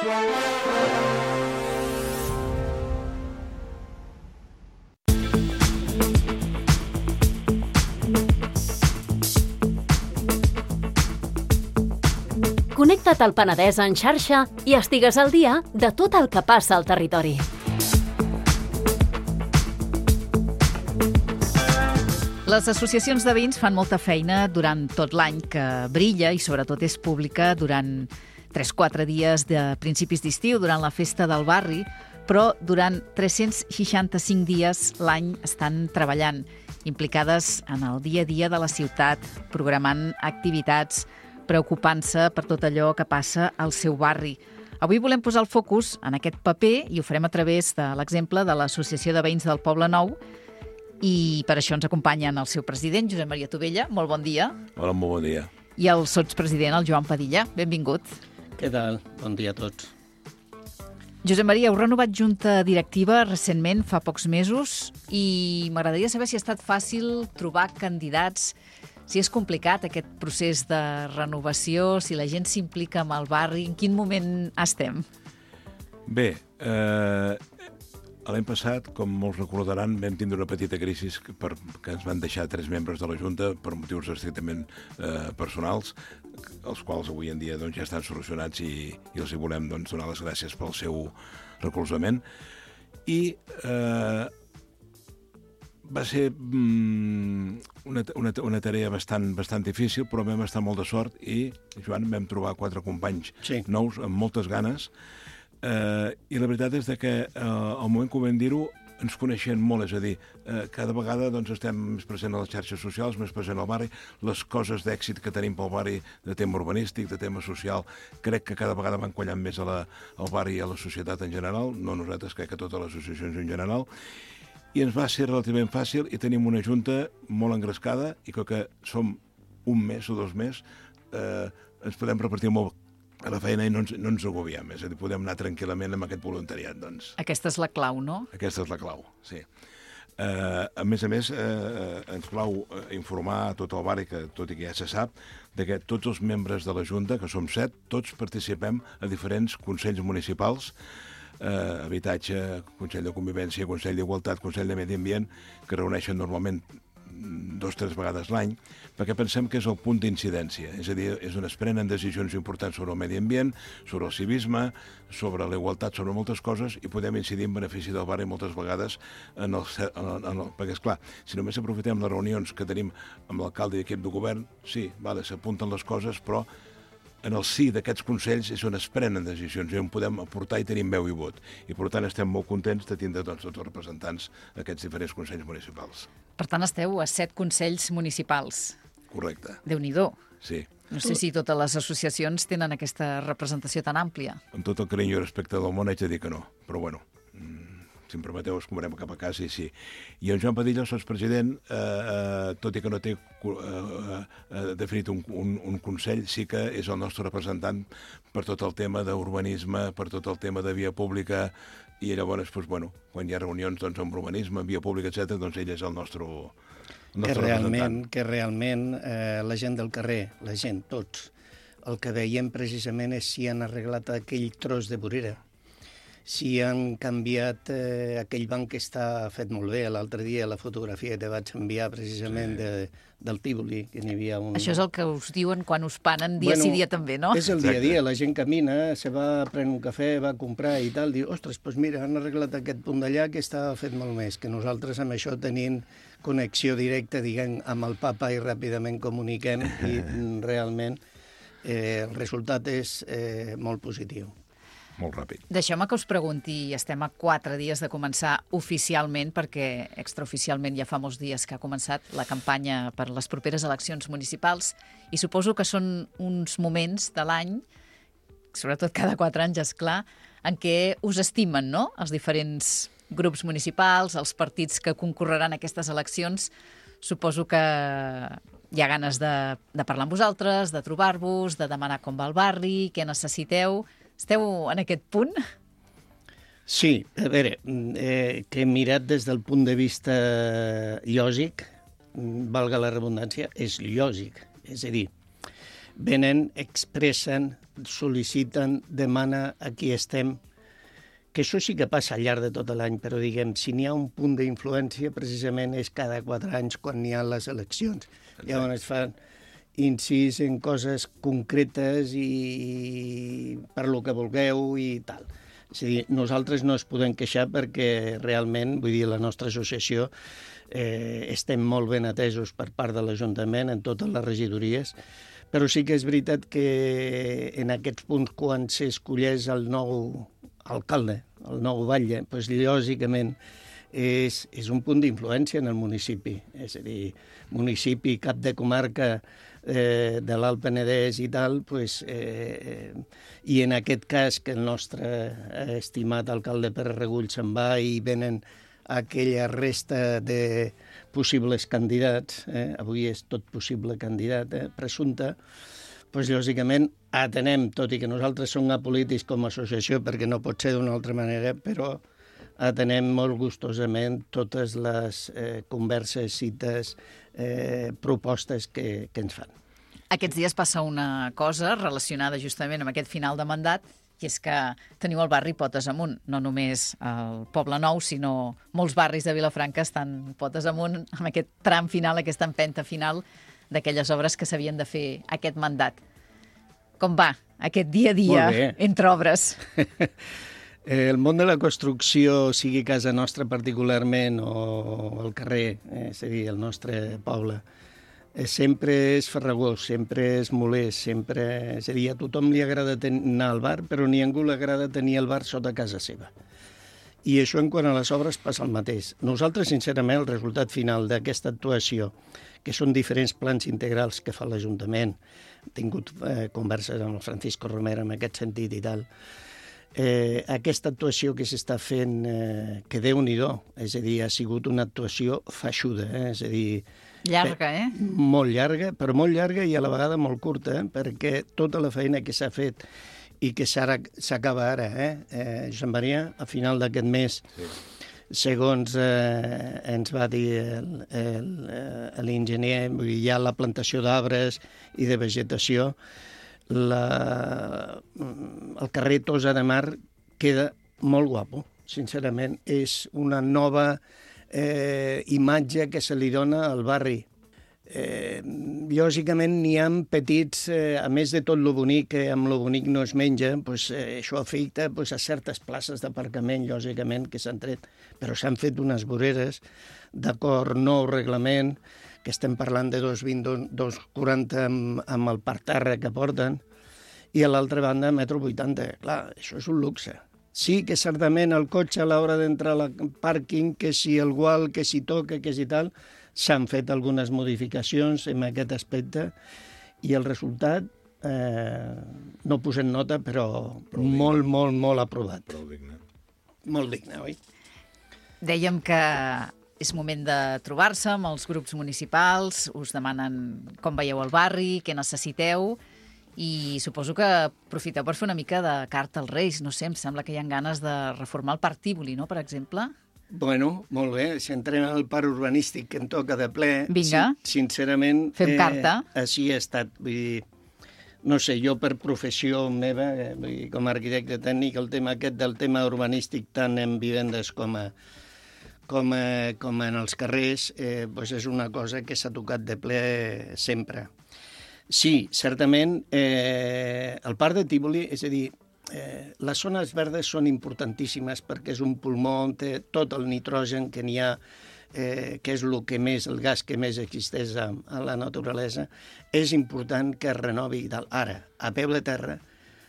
Connecta't al Penedès en xarxa i estigues al dia de tot el que passa al territori. Les associacions de veïns fan molta feina durant tot l'any, que brilla i sobretot és pública durant 3-4 dies de principis d'estiu, durant la festa del barri, però durant 365 dies l'any estan treballant, implicades en el dia a dia de la ciutat, programant activitats, preocupant-se per tot allò que passa al seu barri. Avui volem posar el focus en aquest paper i ho farem a través de l'exemple de l'Associació de Veïns del Poble Nou, i per això ens acompanyen el seu president, Josep Maria Tovella. Molt bon dia. Hola, molt bon dia. I el sotspresident, el Joan Padilla. Benvingut. Què tal? Bon dia a tots. Josep Maria, heu renovat junta directiva recentment, fa pocs mesos, i m'agradaria saber si ha estat fàcil trobar candidats, si és complicat aquest procés de renovació, si la gent s'implica amb el barri, en quin moment estem? Bé, l'any passat, com molts recordaran, vam tindre una petita crisi que ens van deixar 3 membres de la Junta per motius estrictament personals, els quals avui en dia ja estan solucionats i els hi volem donar les gràcies pel seu recolzament. I va ser una tarea bastant difícil, però vam estar molt de sort i, Joan, vam trobar 4 companys nous amb moltes ganes. I la veritat és que al moment que ho vam dir-ho ens coneixem molt, és a dir, cada vegada estem més presents a les xarxes socials, més presents al barri, les coses d'èxit que tenim pel barri de tema urbanístic, de tema social, crec que cada vegada van quallant més al barri i a la societat en general, no nosaltres, crec que totes les associacions en general, i ens va ser relativament fàcil i tenim una junta molt engrescada i que som un mes o 2 mesos, ens podem repartir molt a la feina i no ens agobiem, és a dir, podem anar tranquil·lament amb aquest voluntariat. Aquesta és la clau, no? Aquesta és la clau, sí. A més, ens plau informar a tot el barri, que tot i que ja se sap, que tots els membres de la Junta, que som 7, tots participem a diferents consells municipals, habitatge, Consell de Convivència, Consell d'Igualtat, Consell de Medi Ambient, que reuneixen normalment 2-3 vegades l'any, perquè pensem que és el punt d'incidència. És a dir, és on es prenen decisions importants sobre el medi ambient, sobre el civisme, sobre la igualtat, sobre moltes coses, i podem incidir en benefici del barri moltes vegades perquè, esclar, si només aprofitem les reunions que tenim amb l'alcalde i equip de govern, sí, s'apunten les coses, però en el sí d'aquests consells és on es prenen decisions i on podem aportar i tenim veu i vot. I, per tant, estem molt contents de tindre tots els representants d'aquests diferents consells municipals. Per tant, esteu a 7 consells municipals. Correcte. Déu-n'hi-do. Sí. No sé si totes les associacions tenen aquesta representació tan àmplia. Amb tot el carinyo i respecte del món haig de dir que no, però bueno, si em permeteu, es cobrem cap a casa i sí. I en Joan Padilla, el sotspresident, tot i que no té definit un consell, sí que és el nostre representant per tot el tema d'urbanisme, per tot el tema de via pública, i llavors, quan hi ha reunions amb urbanisme, via pública, etc., ell és el nostre representant. Que realment la gent del carrer, la gent, tots, el que veiem precisament és si han arreglat aquell tros de vorera, si han canviat aquell banc que està fet molt bé. L'altre dia la fotografia que te vaig enviar precisament del Tívoli, que n'hi havia un... Això és el que us diuen quan us panen dia sí dia també, no? És el dia a dia, la gent camina, se va a prendre un cafè, va a comprar i tal, diu, ostres, doncs mira, han arreglat aquest punt d'allà que està fet molt més, que nosaltres amb això tenim connexió directa, diguem, amb el papa i ràpidament comuniquem i realment el resultat és molt positiu. Molt ràpid. Deixeu-me que us pregunti, estem a 4 dies de començar oficialment, perquè extraoficialment ja fa molts dies que ha començat la campanya per les properes eleccions municipals, i suposo que són uns moments de l'any, sobretot cada 4 anys, esclar, en què us estimen, no?, els diferents grups municipals, els partits que concorreran a aquestes eleccions. Suposo que hi ha ganes de parlar amb vosaltres, de trobar-vos, de demanar com va el barri, què necessiteu. Esteu en aquest punt? Sí, a veure, que he mirat des del punt de vista lògic, valga la redundància, és lògic. És a dir, venen, expressen, sol·liciten, demana a qui estem, que això sí que passa al llarg de tot l'any, però diguem, si n'hi ha un punt d'influència, precisament és cada 4 anys quan n'hi ha les eleccions. Llavors es fan incís en coses concretes i per lo que vulgueu i tal. És a dir, nosaltres no es podem queixar perquè realment, vull dir, la nostra associació estem molt ben atesos per part de l'Ajuntament en totes les regidories, però sí que és veritat que en aquests punts, quan s'escolleix el nou alcalde, el nou batlle, doncs lògicament és un punt d'influència en el municipi. És a dir, municipi, cap de comarca de l'Alt Penedès i tal, i en aquest cas que el nostre estimat alcalde Pere Regull se'n va i venen aquella resta de possibles candidats, avui és tot possible candidat, presumpte, doncs lògicament atenem, tot i que nosaltres som apolítics com a associació, perquè no pot ser d'una altra manera, però atenem molt gustosament totes les converses, cites, propostes que ens fan. Aquests dies passa una cosa relacionada justament amb aquest final de mandat, i és que teniu el barri potes amunt, no només el Poble Nou, sinó molts barris de Vilafranca estan potes amunt amb aquest tram final, aquesta empenta final d'aquelles obres que s'havien de fer aquest mandat. Com va aquest dia a dia entre obres? El món de la construcció, sigui casa nostra particularment o el carrer, és a dir, el nostre poble, sempre és farragós, sempre és molest, sempre... És a dir, a tothom li agrada anar al bar, però ni a ningú li agrada tenir el bar sota casa seva. I això en quant a les obres passa el mateix. Nosaltres, sincerament, el resultat final d'aquesta actuació, que són diferents plans integrals que fa l'Ajuntament, he tingut converses amb el Francisco Romero en aquest sentit i tal, aquesta actuació que s'està fent, que Déu-n'hi-do, és a dir, ha sigut una actuació feixuda, és a dir... Llarga, Molt llarga, però molt llarga i a la vegada molt curta, perquè tota la feina que s'ha fet i que s'acaba ara, Josep Maria, a final d'aquest mes, segons ens va dir l'enginyer, hi ha la plantació d'arbres i de vegetació, el carrer Tossa de Mar queda molt guapo, sincerament. És una nova imatge que se li dona al barri. Lògicament n'hi ha petits, a més de tot lo bonic, que amb lo bonic no es menja, això afecta a certes places d'aparcament, lògicament, que s'han tret, però s'han fet unes voreres d'acord nou reglament, que estem parlant de 2,20, 2,40 amb el parterre que porten, i a l'altra banda 1,80 m. Clar, això és un luxe. Sí que certament el cotxe a l'hora d'entrar al pàrquing, que si el gual, que si toca, que si tal, s'han fet algunes modificacions en aquest aspecte i el resultat, no posem nota, però molt, molt, molt aprovat. Prou digne. Molt digne, oi? Dèiem que és moment de trobar-se amb els grups municipals, us demanen com veieu el barri, què necessiteu, i suposo que aprofiteu per fer una mica de carta als Reis. No sé, em sembla que hi ha ganes de reformar el Parc Tívoli, no?, per exemple. Bueno, molt bé, si entrem al parc urbanístic que em toca de ple, vinga, sincerament, fem carta. Així ha estat. Vull dir, no sé, jo per professió meva, vull dir, com a arquitecte tècnic, el tema aquest del tema urbanístic, tant en vivendes com en els carrers, és una cosa que s'ha tocat de ple sempre. Sí, certament, el parc de Tívoli, és a dir, les zones verdes són importantíssimes perquè és un pulmó on té tot el nitrogen que n'hi ha, que és el gas que més existeix a la naturalesa. És important que es renovi i tal. Ara, a peu de terra,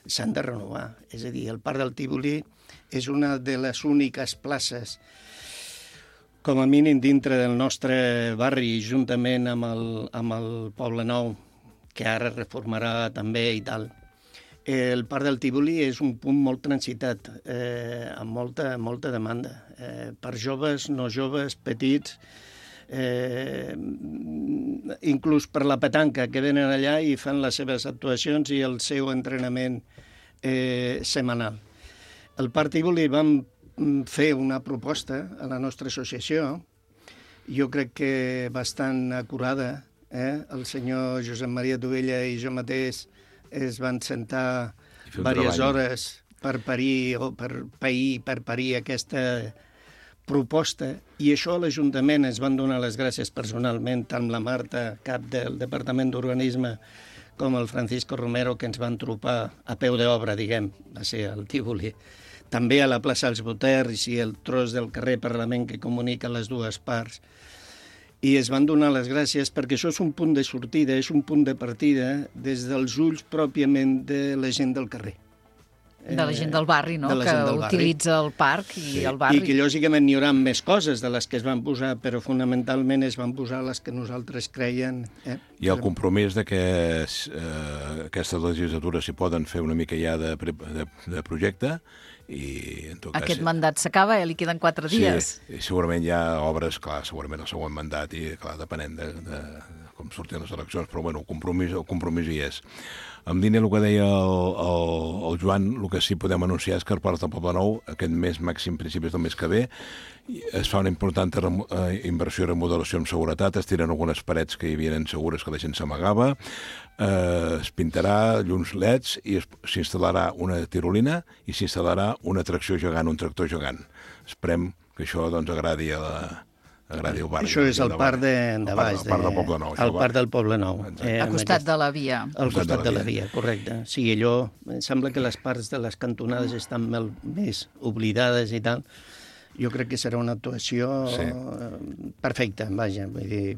s'han de renovar. És a dir, el parc del Tívoli és una de les úniques places, com a mínim dintre del nostre barri, juntament amb el Poble Nou, que ara reformarà també i tal. El parc del Tívoli és un punt molt transitat, amb molta demanda, per joves, no joves, petits, inclús per la petanca, que venen allà i fan les seves actuacions i el seu entrenament setmanal. El parc Tívoli vam fer una proposta a la nostra associació, jo crec que bastant acurada, El senyor Josep Maria Tovella i jo mateix es van sentar fer un diverses treball. hores per parir aquesta proposta, i això a l'Ajuntament es van donar les gràcies personalment, tant la Marta, cap del Departament d'Urbanisme, com el Francisco Romero, que ens van tropar a peu d'obra, diguem, va ser al Tívoli. També a la plaça dels Boters i el tros del carrer Parlament que comunica les dues parts. I es van donar les gràcies perquè això és un punt de sortida, és un punt de partida des dels ulls pròpiament de la gent del carrer. De la gent del barri, no?, que utilitza el parc i el barri. I que, lògicament, n'hi haurà més coses de les que es van posar, però fonamentalment es van posar les que nosaltres creien. I el compromís de que aquesta legislatura s'hi poden fer una mica ja de projecte, i en tot cas... Aquest mandat s'acaba, li queden 4 dies. Sí, i segurament hi ha obres, clar, segurament el següent mandat, i clar, depenent de com surtin les eleccions, però bueno, el compromís hi és. En línia el que deia el Joan, el que sí podem anunciar és que al Parc del Poblenou, aquest mes màxim, principis del mes que ve, es fa una important inversió i remodelació amb seguretat, es tiren algunes parets que hi havia insegures que la gent s'amagava, es pintarà llums LEDs i s'instal·larà una tirolina i s'instal·larà una atracció gegant, un tractor gegant. Esperem que això doncs agradi al barri. Això és el parc de baix. El parc del Poblenou. El parc del Poblenou. Al costat de la via. Al costat de la via, correcte. Sí, allò, em sembla que les parts de les cantonades estan més oblidades i tal. Jo crec que serà una actuació perfecta, vaja, vull dir...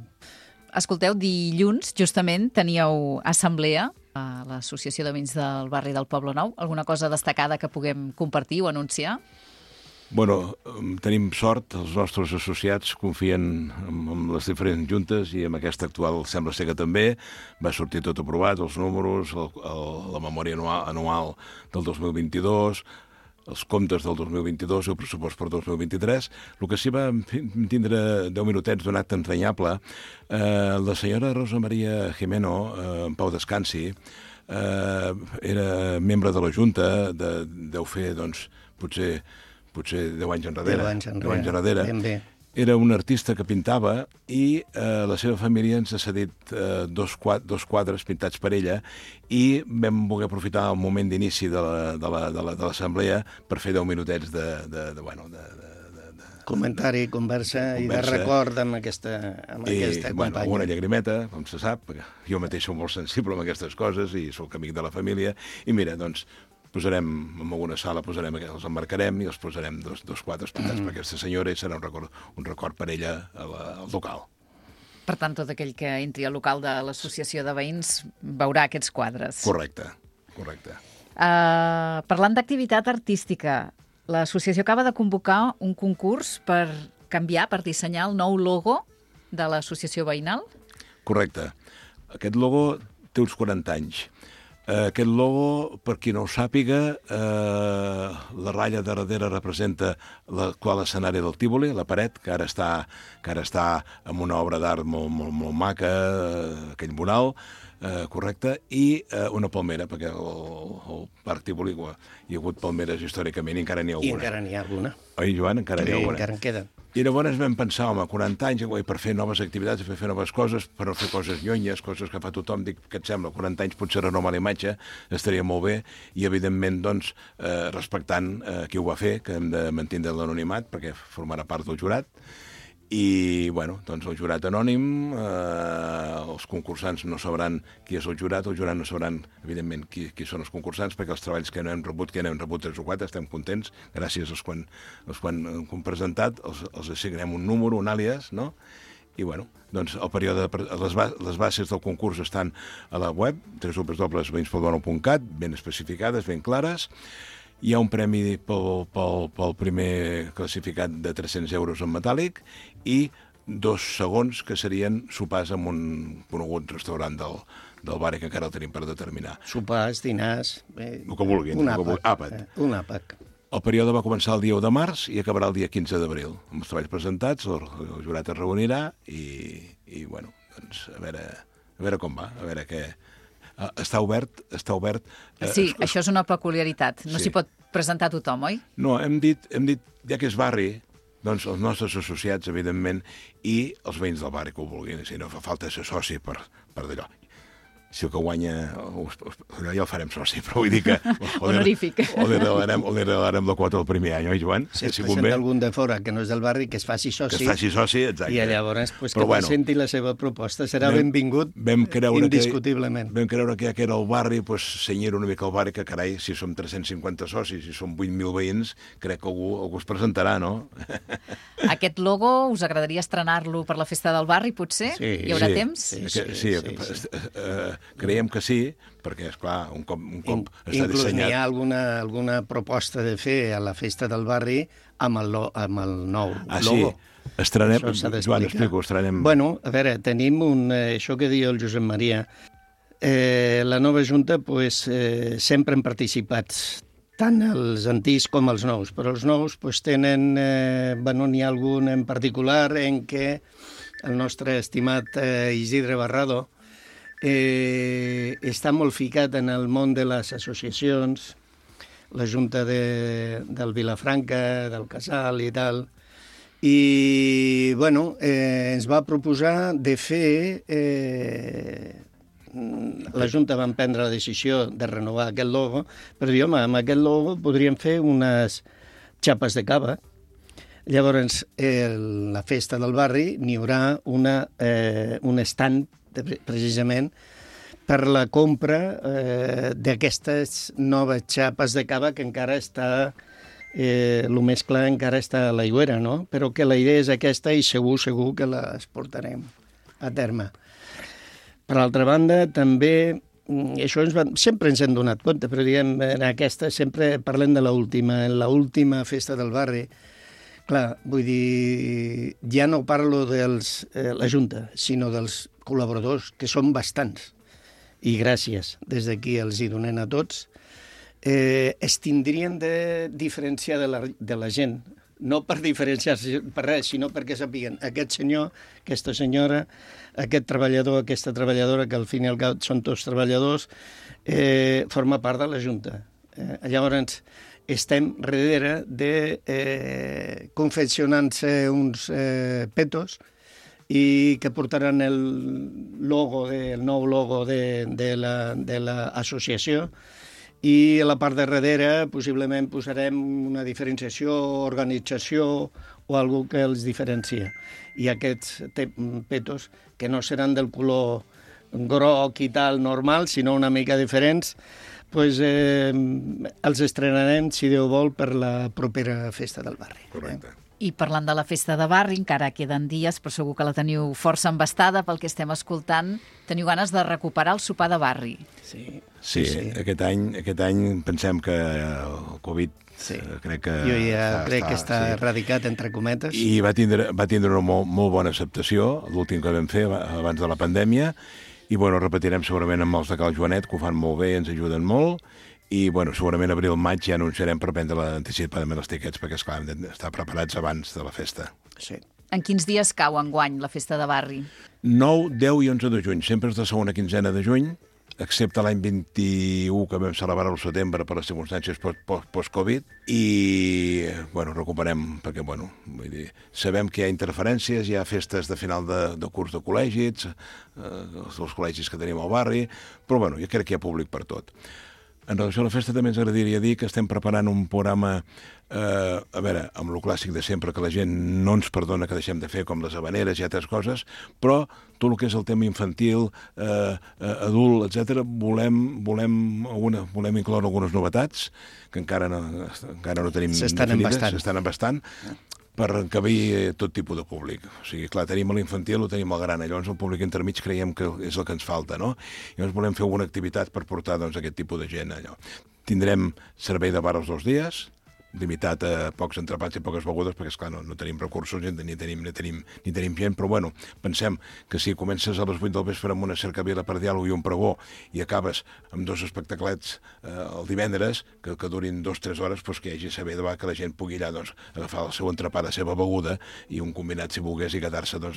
Escolteu, dilluns, justament, teníeu assemblea a l'Associació de Veïns del barri del Poblenou. Alguna cosa destacada que puguem compartir o anunciar? Bueno, tenim sort, els nostres associats confien en les diferents juntes i amb aquesta actual sembla ser que també va sortir tot aprovat, els números, la memòria anual del 2022, els comptes del 2022 i el pressupost per 2023. El que sí va tindre 10 minutets d'un acte entranyable, la senyora Rosa Maria Jimeno, en pau descansi, era membre de la Junta, deu fer, doncs, potser 10 anys enrere. 10 anys enrere. Ben bé. Era un artista que pintava i la seva família ens ha cedit dos quadres pintats per ella i vam voler aprofitar el moment d'inici de l'assemblea per fer 10 minutets de comentari, conversa i de record amb aquesta companya. Bueno, una llagrimeta, com se sap, perquè jo mateix soc molt sensible amb aquestes coses i soc amic de la família. I mira, doncs, posarem, en alguna sala els emmarcarem i els posarem dos quadres pintats per aquesta senyora i serà un record per ella al local. Per tant, tot aquell que entri al local de l'Associació de Veïns veurà aquests quadres. Correcte. Parlant d'activitat artística, l'associació acaba de convocar un concurs per dissenyar el nou logo de l'associació veïnal? Correcte. Aquest logo té uns 40 anys. Aquest logo, per qui no ho sàpiga, la ratlla de darrere representa l'actual escenari del Tívoli, la paret, que ara està en una obra d'art molt maca, aquell mural, correcte, i una palmera, perquè al Parc Tívoli hi ha hagut palmeres històricament i encara n'hi ha alguna. I encara n'hi ha alguna. Oi, Joan? Encara n'hi ha alguna. Encara en queda. I llavors vam pensar, home, 40 anys, per fer noves activitats, per fer noves coses, per no fer coses llonyes, coses que fa tothom, dic, què et sembla? 40 anys potser renovar la imatge, estaria molt bé, i evidentment, doncs, respectant qui ho va fer, que hem de mantenir l'anonimat, perquè formarà part del jurat, i, bueno, doncs el jurat anònim, els concursants no sabran qui és el jurat no sabran, evidentment, qui són els concursants, perquè els treballs que no hem rebut 3 o 4, estem contents, gràcies als quan hem presentat, els assignem un número, un àlies, no? I, bueno, doncs el període, les bases del concurs estan a la web, www.veinspoblenou.cat, ben especificades, ben clares. Hi ha un premi pel primer classificat de 300 euros en metàl·lic i 2 segons que serien sopars en un conegut restaurant del barri que encara el tenim per determinar. Sopars, dinars... El que vulguin. Àpat. Un àpat. El període va començar el dia 1 de març i acabarà el dia 15 d'abril. Amb els treballs presentats, el jurat es reunirà i bueno, doncs, a veure com va, a veure què... Està obert... Sí, això és una peculiaritat. No s'hi pot presentar tothom, oi? No, hem dit, ja que és barri, doncs els nostres associats, evidentment, i els veïns del barri que ho vulguin. Si no fa falta ser soci per d'allò. Si el que guanya, ja el farem soci, però vull dir que... Honorífic. O li regalarem la quota el primer any, oi, Joan? Si es presenta algun de fora que no és del barri, que es faci soci. Que es faci soci, exacte. I llavors que presenti la seva proposta. Serà benvingut indiscutiblement. Vam creure que ja que era el barri, senyir una mica el barri, que carai, si som 350 socis, si som 8.000 veïns, crec que algú es presentarà, no? Aquest logo, us agradaria estrenar-lo per la festa del barri, potser? Hi haurà temps? Sí. Creiem que sí, perquè, esclar, un cop està dissenyat... Inclús n'hi ha alguna proposta de fer a la festa del barri amb el nou logo. Sí, estrenem... Joan, explico, estrenem... Bueno, a veure, tenim això que diu el Josep Maria. La nova Junta, sempre han participat tant els antics com els nous, però els nous tenen... N'hi ha algun en particular en què el nostre estimat Isidre Barrado està molt ficat en el món de les associacions, la Junta del Vilafranca, del Casal i tal, i ens va proposar de fer... La Junta va prendre la decisió de renovar aquest logo, però dir, home, amb aquest logo podríem fer unes xapes de cava. Llavors, la festa del barri n'hi haurà un stand precisament per la compra d'aquestes noves xapes de cava que encara està, el més clar encara està a l'aigüera, no? Però que la idea és aquesta i segur que les portarem a terme. Per altra banda, també, això sempre ens hem donat compte, però diguem, en aquesta sempre parlem de l'última festa del barri. Clar, vull dir, ja no parlo de la Junta, sinó dels col·laboradors, que són bastants. I gràcies, des d'aquí els hi donem a tots. Es tindrien de diferenciar de la gent, no per diferenciar-se per res, sinó perquè sapiguen aquest senyor, aquesta senyora, aquest treballador, aquesta treballadora, que al fin i al cap són tots treballadors, forma part de la Junta. Llavors, estem darrere de confeccionant-se uns petos i que portaran el nou logo de l'associació, i a la part de darrere possiblement posarem una diferenciació, organització o algú que els diferencia. I aquests petos, que no seran del color groc i tal normal, sinó una mica diferents, els estrenarem, si Déu vol, per la propera festa del barri. Correcte. I parlant de la festa de barri, encara queden dies, però segur que la teniu força embastada pel que estem escoltant. Teniu ganes de recuperar el sopar de barri. Sí. Aquest any pensem que el Covid crec que... Jo crec que està erradicat, entre cometes. I va tindre una molt bona acceptació, l'últim que vam fer abans de la pandèmia, i repetirem segurament amb els de Cal Joanet, que ho fan molt bé, ens ajuden molt, i segurament abril-maig ja anunciarem per prendre anticipadament els tiquets, perquè esclar, hem d'estar preparats abans de la festa. Sí. En quins dies cau enguany la festa de barri? 9, 10 i 11 de juny. Sempre és de segona quinzena de juny, excepte l'any 21, que vam celebrar al setembre per les circumstàncies post-Covid, i recuperem, perquè vull dir, sabem que hi ha interferències, hi ha festes de final de curs de col·legis, els col·legis que tenim al barri, però jo crec que hi ha públic per tot. En relació a la festa també ens agradaria dir que estem preparant un programa, amb lo clàssic de sempre, que la gent no ens perdona que deixem de fer, com les habaneres i altres coses, però tot el que és el tema infantil, adult, etc., volem incloure algunes novetats que encara no tenim definides, s'estan embastant, per encabir tot tipus de públic. O sigui, clar, tenim l'infantil, ho tenim al gran, llavors el públic intermig creiem que és el que ens falta, no? Llavors volem fer alguna activitat per portar aquest tipus de gent allò. Tindrem servei de bar els 2 dies, limitat a pocs entrepans i poques begudes, perquè, esclar, no tenim recursos ni tenim gent, però pensem que si comences a les 8 del vespre amb una cercavila per diàleg i un pregó i acabes amb 2 espectaclets el divendres, que durin 2-3 hores, que hi hagi saber de que la gent pugui allà agafar el seu entrepà, la seva beguda i un combinat, si volgués, i quedar-se a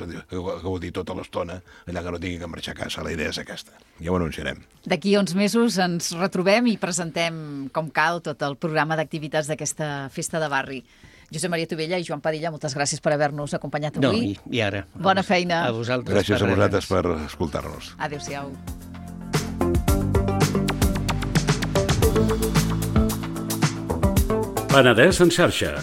gaudir tota l'estona, allà que no tingui que marxar a casa. La idea és aquesta. Ja ho anunciarem. D'aquí a uns mesos ens retrobem i presentem com cal tot el programa d'activitats d'aquesta festa de barri. Josep Maria Tovella i Joan Padilla, moltes gràcies per haver-nos acompanyat avui. No, i ara. Bona feina. A vosaltres. Gràcies a vosaltres per escoltar-nos. Adéu-siau. Penedès en xarxa.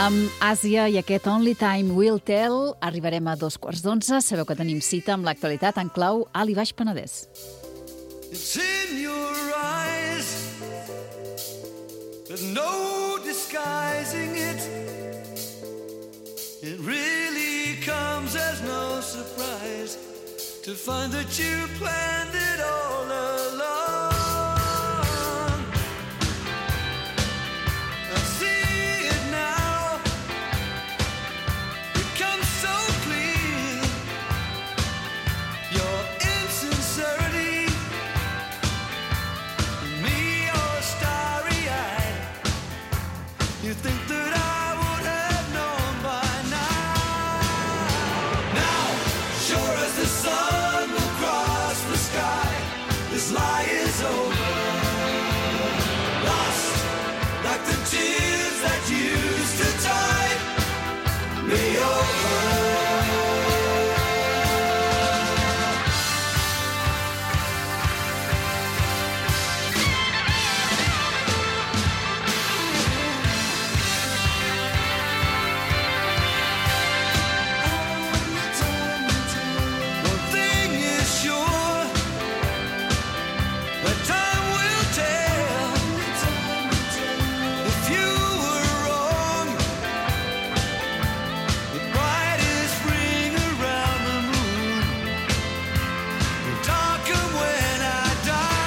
Amb Àsia i aquest Only Time Will Tell arribarem a 11:15. Sabeu que tenim cita amb l'actualitat en clau Alt i Baix Penedès. It's in your eyes, there's no disguising it. It really comes as no surprise to find that you planned it all along. I see it now, it comes so clear, your insincerity, me all starry-eyed. You think that I would have known by now. Now, sure as the sun will cross the sky, this lie is over. Lost like the tears that used to tide me over. One thing is sure, that time will tell. If you were wrong, the brightest ring around the moon will darken when I die.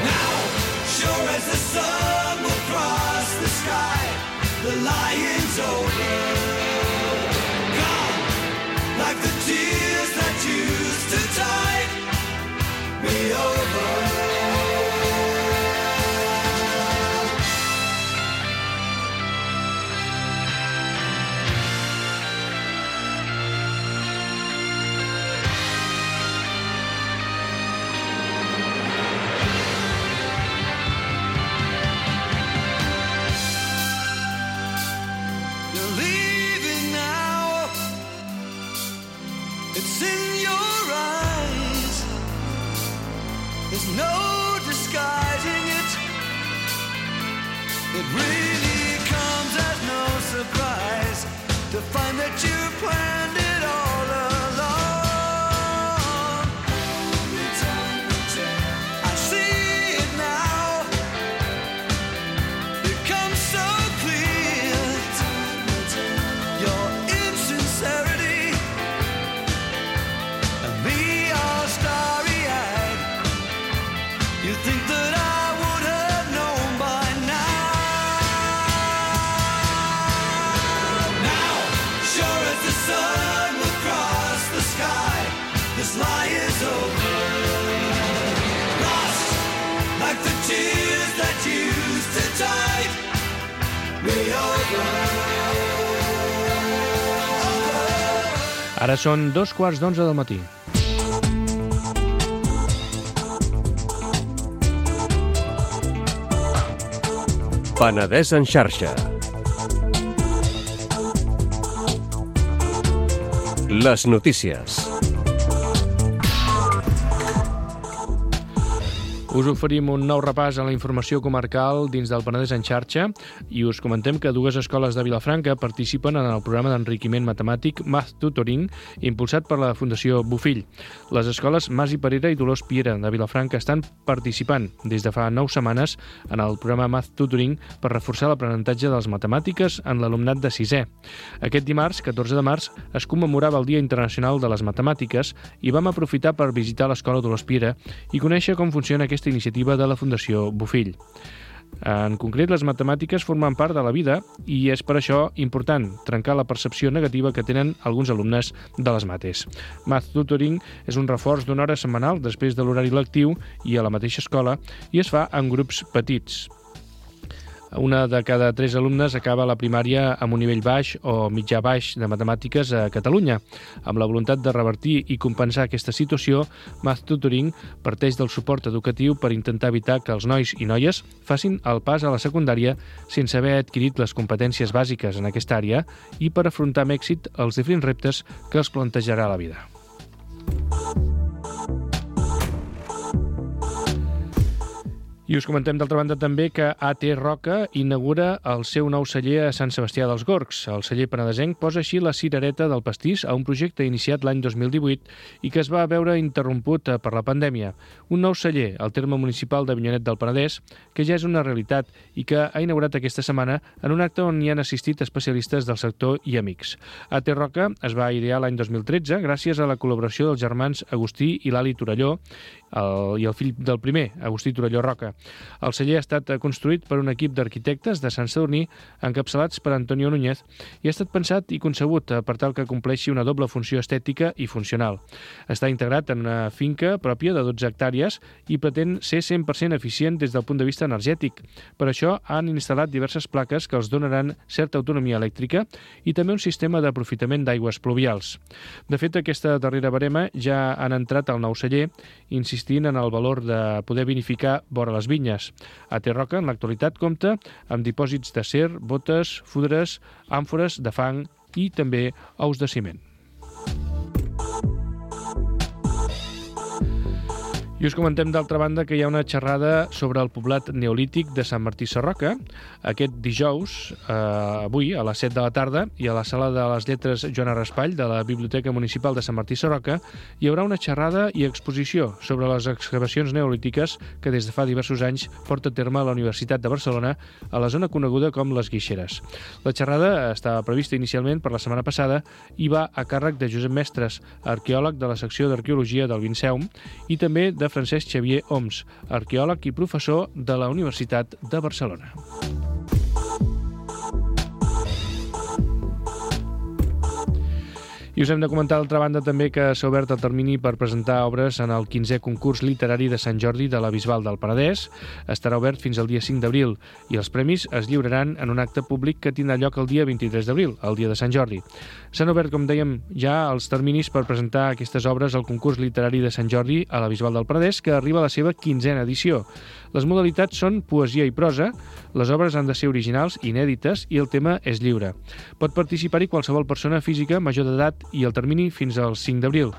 Now, sure as the sun will cross the sky, the lion's over. Gone, like the tears that used to tide me over. You're leaving now, it's in your eyes, there's no disguising it. It really comes as no surprise to find that you planned it all along. I see it now, it comes so clear, your insincerity, and me all starry-eyed. You think that I would have known by now. Now, sure as the sun will cross the sky, this lie is over. Lost like the tears that used to tide me over. Ara són 2:15 del matí. Penedès en xarxa. Les notícies. Us oferim un nou repàs a la informació comarcal dins del Penedès en xarxa i us comentem que 2 escoles de Vilafranca participen en el programa d'enriquiment matemàtic Math Tutoring impulsat per la Fundació Bofill. Les escoles Mas i Perera i Dolors Piera de Vilafranca estan participant des de fa 9 setmanes en el programa Math Tutoring per reforçar l'aprenentatge de les matemàtiques en l'alumnat de 6è. Aquest dimarts, 14 de març, es commemorava el Dia Internacional de les Matemàtiques i vam aprofitar per visitar l'escola Dolors Piera i conèixer com funciona aquesta iniciativa de la Fundació Bofill. En concret, les matemàtiques formen part de la vida i és per això important trencar la percepció negativa que tenen alguns alumnes de les mates. Math Tutoring és un reforç d'una hora setmanal després de l'horari lectiu i a la mateixa escola i es fa en grups petits. Una de cada 3 alumnes acaba la primària amb un nivell baix o mitjà-baix de matemàtiques a Catalunya. Amb la voluntat de revertir i compensar aquesta situació, Math Tutoring parteix del suport educatiu per intentar evitar que els nois i noies facin el pas a la secundària sense haver adquirit les competències bàsiques en aquesta àrea i per afrontar amb èxit els diferents reptes que els plantejarà la vida. I us comentem d'altra banda també que AT Roca inaugura el seu nou celler a Sant Sebastià dels Gorgs. El celler penedesenc posa així la cirereta del pastís a un projecte iniciat l'any 2018 i que es va veure interromput per la pandèmia. Un nou celler al terme municipal d'Avinyonet del Penedès, que ja és una realitat i que ha inaugurat aquesta setmana en un acte on hi han assistit especialistes del sector i amics. AT Roca es va idear l'any 2013 gràcies a la col·laboració dels germans Agustí i Lali Torelló i el fill del primer, Agustí Torelló Roca. El celler ha estat construït per un equip d'arquitectes de Sant Sadurní encapçalats per Antonio Núñez i ha estat pensat i concebut per tal que compleixi una doble funció estètica i funcional. Està integrat en una finca pròpia de 12 hectàrees i pretén ser 100% eficient des del punt de vista energètic. Per això han instal·lat diverses plaques que els donaran certa autonomia elèctrica i també un sistema d'aprofitament d'aigües pluvials. De fet, aquesta darrera barema ja han entrat al nou celler, insistint en el valor de poder vinificar vora les vinyes. AT Roca, en l'actualitat, compta amb dipòsits d'acer, botes, fudres, àmfores de fang i també ous de ciment. I us comentem d'altra banda que hi ha una xerrada sobre el poblat neolític de Sant Martí Sarroca aquest dijous, avui, a les 7 de la tarda, i a la Sala de les Lletres Joana Raspall de la Biblioteca Municipal de Sant Martí Sarroca hi haurà una xerrada i exposició sobre les excavacions neolítiques que des de fa diversos anys porta a terme la Universitat de Barcelona a la zona coneguda com les Guixeres. La xerrada estava prevista inicialment per la setmana passada i va a càrrec de Josep Mestres, arqueòleg de la secció d'Arqueologia del Vinceum, i també de Francesc Xavier Oms, arqueòleg i professor de la Universitat de Barcelona. I us hem de comentar d'altra banda també que s'ha obert el termini per presentar obres en el 15è concurs literari de Sant Jordi de la Bisbal del Penedès. Estarà obert fins al dia 5 d'abril i els premis es lliuraran en un acte públic que tindrà lloc el dia 23 d'abril, el dia de Sant Jordi. S'han obert, com dèiem, ja els terminis per presentar aquestes obres al concurs literari de Sant Jordi a la Bisbal del Penedès, que arriba a la seva 15a edició. Les modalitats són poesia i prosa, les obres han de ser originals, inèdites i el tema és lliure. Pot participar-hi qualsevol persona física major d'edat i el termini fins al 5 d'abril.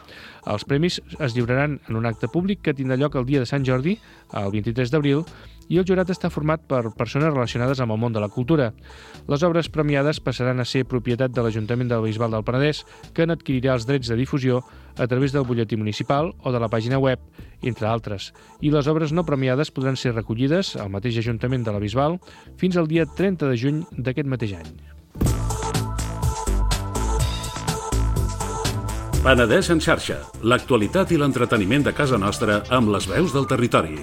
Els premis es lliuraran en un acte públic que tindrà lloc el dia de Sant Jordi, el 23 d'abril, i el jurat està format per persones relacionades amb el món de la cultura. Les obres premiades passaran a ser propietat de l'Ajuntament de la Bisbal del Penedès, que n'adquirirà els drets de difusió a través del butlletí municipal o de la pàgina web, entre altres. I les obres no premiades podran ser recollides al mateix Ajuntament de la Bisbal fins al dia 30 de juny d'aquest mateix any. Penedès en xarxa, l'actualitat i l'entreteniment de casa nostra amb les veus del territori.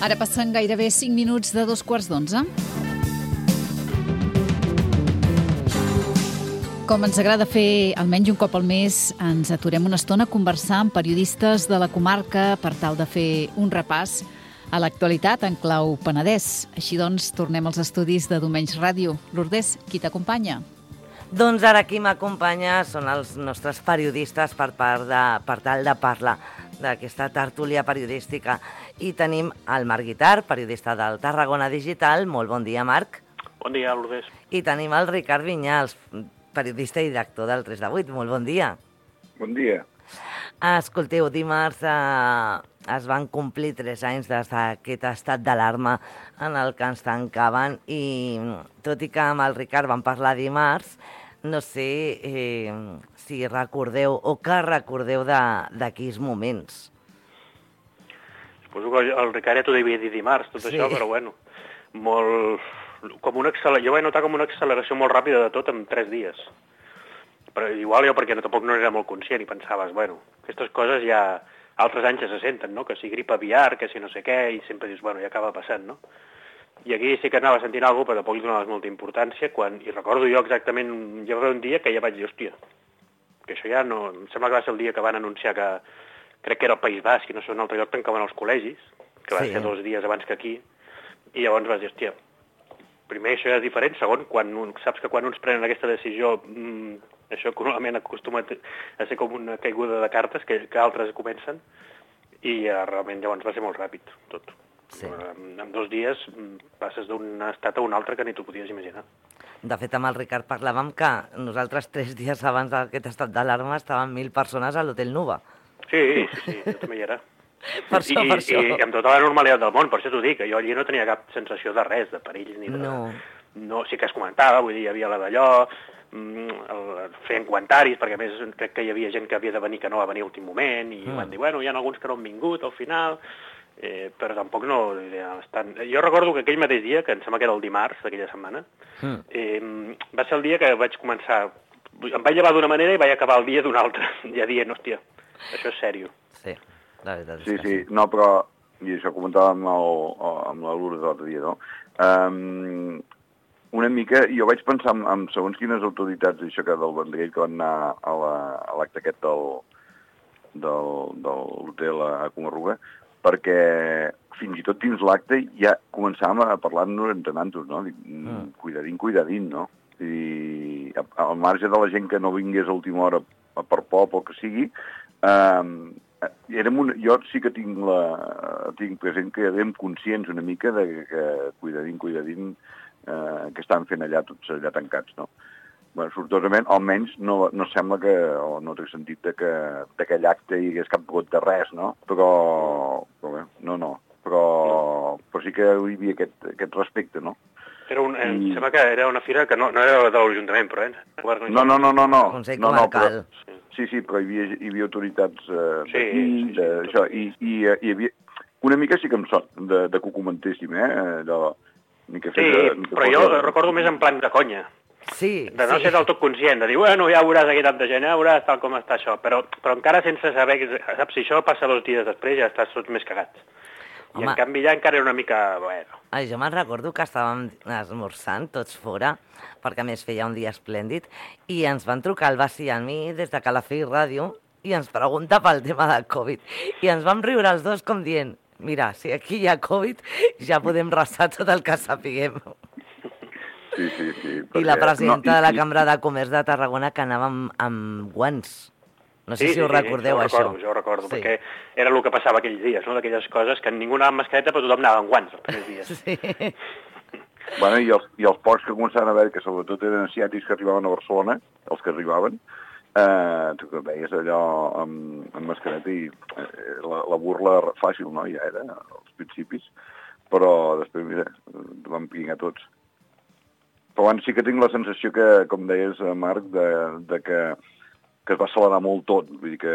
Ara passen gairebé 5 minuts de 11:15. Com ens agrada fer almenys un cop al mes, ens aturem una estona a conversar amb periodistes de la comarca per tal de fer un repàs a l'actualitat en clau Penedès. Així doncs, tornem als estudis de Domenys Ràdio. Lourdes, qui t'acompanya? Doncs ara qui m'acompanya són els nostres periodistes per tal de parlar d'aquesta tertúlia periodística. I tenim el Marc Guitart, periodista del Tarragona Digital. Molt bon dia, Marc. Bon dia, Lourdes. I tenim el Ricard Vinyals, periodista i director del 3 de 8. Molt bon dia. Bon dia. Escolteu, dimarts es van complir 3 anys des d'aquest estat d'alarma en el que ens tancaven i tot i que amb el Ricard vam parlar dimarts, no sé si recordeu o què recordeu d'aquells moments. Suposo que el Ricard ja t'ho devia dir dimarts, tot això, però bueno, jo vaig notar com una acceleració molt ràpida de tot en 3 dies. Però igual jo perquè tampoc no era molt conscient i pensaves, bueno, aquestes coses ja altres anys ja se senten, no? Que si grip aviar, que si no sé què, i sempre dius, bueno, ja acaba passant, no? I aquí sí que anava sentint alguna cosa, però tampoc li donaves molta importància, i recordo jo exactament, ja va haver un dia que ja vaig dir, hòstia, que això ja no... Em sembla que va ser el dia que van anunciar que, crec que era el País Basc, i no sé, un altre lloc tancaven els col·legis, que va ser 2 dies abans que aquí, i llavors vas dir, hòstia, primer això ja és diferent, segon, saps que quan uns prenen aquesta decisió, això que normalment acostuma a ser com una caiguda de cartes, que altres comencen, i realment llavors va ser molt ràpid, tot. Sí. En 2 dies passes d'un estat a un altre que ni t'ho podies imaginar. De fet, amb el Ricard parlàvem que nosaltres 3 dies abans d'aquest estat d'alarma estaven 1.000 persones a l'Hotel Nuba. Sí, jo també hi era. Per això. I amb tota la normalitat del món, per això t'ho dic, que jo allí no tenia cap sensació de res, de perill ni de... No, sí que es comentava, vull dir, hi havia la d'allò, feien comentaris, perquè a més crec que hi havia gent que havia de venir que no va venir a últim moment, i van dir, bueno, hi ha alguns que no han vingut al final, però tampoc no... Jo recordo que aquell mateix dia, que em sembla que era el dimarts d'aquella setmana, va ser el dia que vaig començar... Em vaig llevar d'una manera i vaig acabar el dia d'una altra, ja dient, hòstia, això és sèrio. Sí, la veritat és que sí. No, però, i això comentàvem amb la Lourdes l'altre dia, no? Una mica, jo vaig pensar en segons quines autoritats, això que del Vendrell, que van anar a l'acte aquest de l'hotel a Comarruga, perquè fins i tot dins l'acte ja començàvem a parlar-nos entre nantos, no? Cuidadín, no? I al marge de la gent que no vingués a última hora per por o que sigui, jo sí que tinc present que érem conscients una mica de que cuidadín, que estan fent allà tots allà tancats, no? Bueno, sortosament, almenys no sembla que, o no té sentit que d'aquell acte hi hagués cap got de res, no? Però bé, però sí que hi havia aquest respecte, no? Em sembla que era una fira que no era de l'Ajuntament, però No. Consell comarcal. Sí, però hi havia autoritats d'aquí, d'això, i hi havia... Una mica sí que em sona de que ho comentéssim, però jo recordo més en plan de conya. Sí. De no ser del tot conscient, de dir, bueno, ja veuràs aquí tanta gent, ja veuràs tal com està això, però encara sense saber, saps, si això passa 2 dies després ja estàs tots més cagats. I en canvi ja encara era una mica... Bueno. Jo me'n recordo que estàvem esmorzant tots fora, perquè a més feia un dia esplèndid, i ens van trucar el Basi i a mi des de Calafell Ràdio i ens pregunta pel tema de Covid. I ens vam riure els dos com dient, mira, si aquí hi ha Covid ja podem restar tot el que sapiguem. Sí. I la presidenta de la Cambra de Comerç de Tarragona que anava amb guants. No sé si ho recordeu, això. Jo ho recordo, perquè era el que passava aquells dies, no? D'aquelles coses que ningú anava amb mascareta, però tothom anava amb guants els primers dies. Sí. Bueno, i els pocs que començaven a veure, que sobretot eren asiàtics que arribaven a Barcelona, els que arribaven, tu veies allò amb mascareta i la burla fàcil, no? Ja era als principis, però després, mira, vam pingar tots. Però abans sí que tinc la sensació que, com deies, Marc, de que es va accelerar molt tot, vull dir que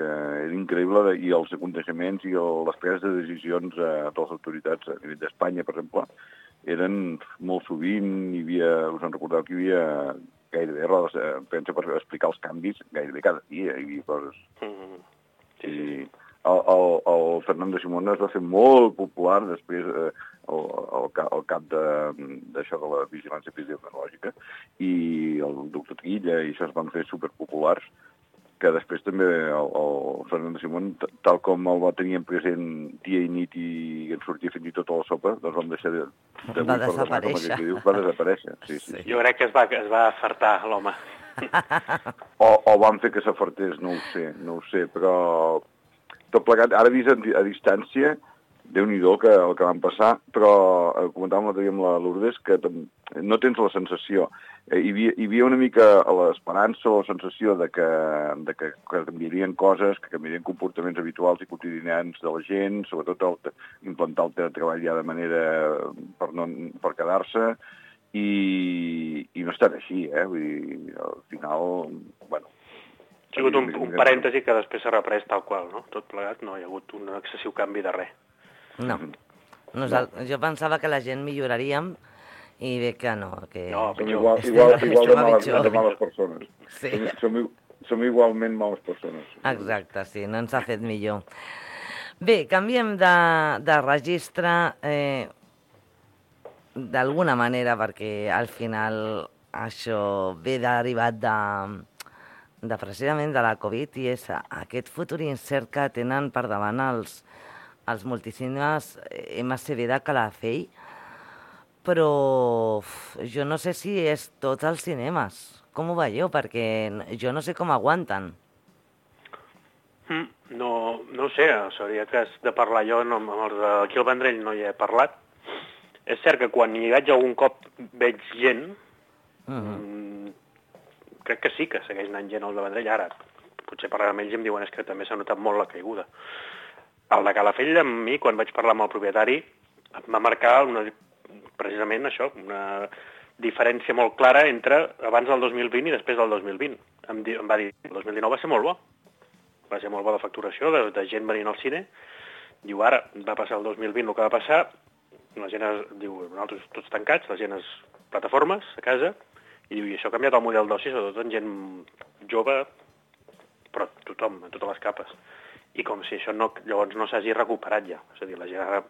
era increïble, i els aconteixements i les preses de decisions de les autoritats a nivell d'Espanya, per exemple, eren molt sovint, us en recordeu que hi havia gairebé rodes de premsa per explicar els canvis, gairebé cada dia hi havia coses. Sí. El Fernando Simón es va fer molt popular després al cap d'això de la vigilància epidemiològica, i el doctor Trilla i això es van fer superpopulars, que després també el Fernando Simón, tal com el va tenir present dia i nit i en sortia fins i tot a la sopa, doncs vam deixar de... Va desaparèixer. Va desaparèixer, sí. Jo crec que es va afartar l'home. O van fer que s'afartés, no ho sé, però... Tot plegat, ara vist a distància, Déu-n'hi-do el que van passar, però comentàvem l'altre dia amb la Lourdes que no tens la sensació. Hi havia una mica l'esperança o la sensació de que canviarien coses, que canviarien comportaments habituals i quotidians de la gent, sobretot implantar el teletreball ja de manera per quedar-se, i no ha estat així, Vull dir, al final, bueno... Ha sigut un parèntesi que després s'ha reprès tal qual, no? Tot plegat, no hi ha hagut un excessiu canvi de res. No. Jo pensava que la gent milloraríem i ve que no. Que... No, igual de males persones. Sí. Som igualment males persones. Exacte, sí, no ens ha fet millor. Bé, canviem de registre d'alguna manera, perquè al final això ve derivat de precisament de la Covid, i és aquest futur incert que tenen per davant els multicinemes MCB de Calafell, però jo no sé si és tots els cinemes. Com ho veieu? Perquè jo no sé com aguanten. No ho sé, seria que has de parlar jo, amb els d'aquí al Vendrell no hi he parlat. És cert que quan hi vaig algun cop veig gent, crec que sí que segueix anant gent al de Vendrell. Ara, potser parlant amb ells i em diuen que també s'ha notat molt la caiguda. El de Calafell, amb mi, quan vaig parlar amb el propietari, em va marcar precisament això, una diferència molt clara entre abans del 2020 i després del 2020. Em va dir, el 2019 va ser molt bo. Va ser molt bo de facturació, de gent venint al cine. Diu, ara va passar el 2020 el que va passar, la gent diu, nosaltres tots tancats, la gent és plataformes a casa, i diu, i això ha canviat el model d'oci, sobretot en gent jove, però tothom, en totes les capes. I com si això llavors no s'hagi recuperat ja. És a dir, la gent ara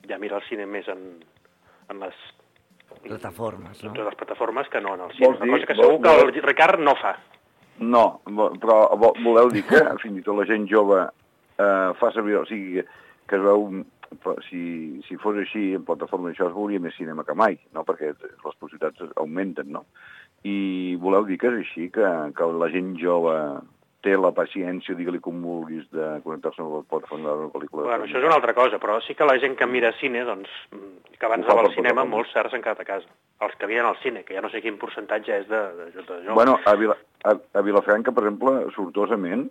ja mira el cine més en les plataformes, no? Totes les plataformes que no en el cine. Una cosa que segur que el Ricard no fa. No, però voleu dir que fins i tot la gent jove fa servir, o sigui, que es veu, si fos així, en plataforma això es veuria més cinema que mai, no? Perquè les possibilitats augmenten, no? I voleu dir que és així, que la gent jove té la paciència, digue-li com vulguis, de connectar-se amb la plataforma de la pel·lícula. Bueno, això és una altra cosa, però sí que la gent que mira cine, doncs, que abans anava al cinema, molts s'han quedat a casa. Els que havien al cine, que ja no sé quin percentatge és de joves. Bueno, a Vilafranca, per exemple, sortosament,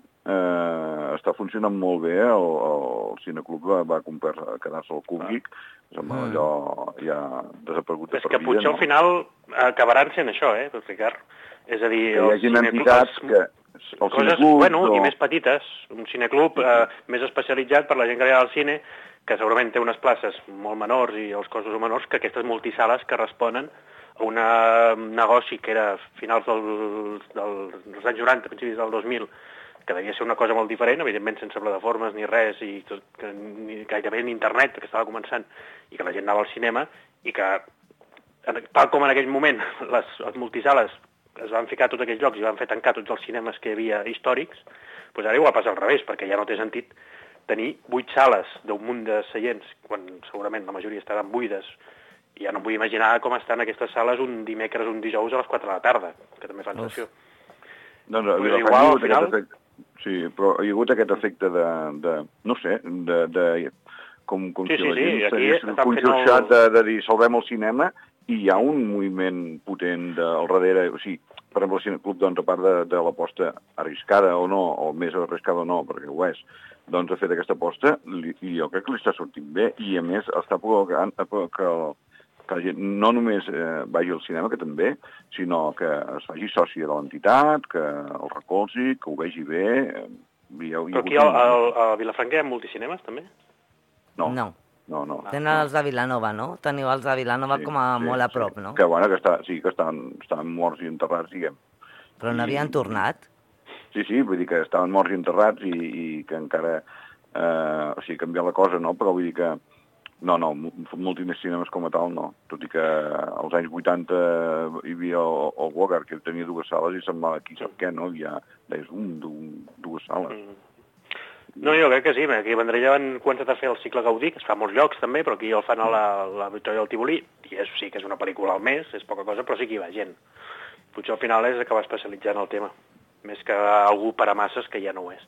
està funcionant molt bé, el cineclub va quedar-se al Cúbic, allò ja desaparegut de per vida. És que potser al final acabaran sent això, Ricard? És a dir, hi hagi entitats que... Coses, bueno, i més petites. Un cineclub més especialitzat per la gent que ve al cine, que segurament té unes places molt menors i els costos menors que aquestes multisales que responen a un negoci que era a finals dels anys 90, principis del 2000, que devia ser una cosa molt diferent, evidentment sense plataformes ni res, i ni gairebé ni internet, que estava començant, i que la gent anava al cinema, i que, tal com en aquell moment les multisales es van ficar a tots aquells llocs i van fer tancar tots els cinemes que hi havia històrics, doncs ara igual passa al revés, perquè ja no té sentit tenir 8 sales d'un munt de seients, quan segurament la majoria estaran buides, i ja no em vull imaginar com estan aquestes sales un dimecres, un dijous a les 4 de la tarda, que també fan sessió. Doncs igual, al final... Sí, però hi ha hagut aquest efecte de no sé, com si la gent s'hagués conxorxat de dir salvem el cinema, i hi ha un moviment potent al darrere, o sigui, per exemple, el Cineclub, doncs, a part de l'aposta arriscada o no, o més arriscada o no, perquè ho és, doncs ha fet aquesta aposta, i jo crec que li està sortint bé, i a més està provocant que la gent no només vagi al cinema, que també, sinó que es faci sòcia de l'entitat, que el recolzi, que ho vegi bé... Però aquí a Vilafranca hi ha multicinemes, també? No. No. Tenen els de Vilanova, no? Teniu els de Vilanova com a molt a prop, no? Que bueno, que estan morts i enterrats, diguem. Però no havien tornat? Sí, vull dir que estaven morts i enterrats i que encara... o sigui, canviar la cosa, no? Però vull dir que... No, multicinemes com a tal, no. Tot i que als anys 80 hi havia el Wogar, que tenia 2 sales i semblava aquí sap què, no? Hi ha dues sales. No, jo crec que sí. Aquí a Vendrell ja han començat a fer el cicle Gaudí, que es fa a molts llocs també, però aquí el fan a la Victòria del Tibolí, i sí que és una pel·lícula al mes, és poca cosa, però sí que hi va gent. Potser al final és acabar especialitzant el tema, més que algú per a masses que ja no ho és.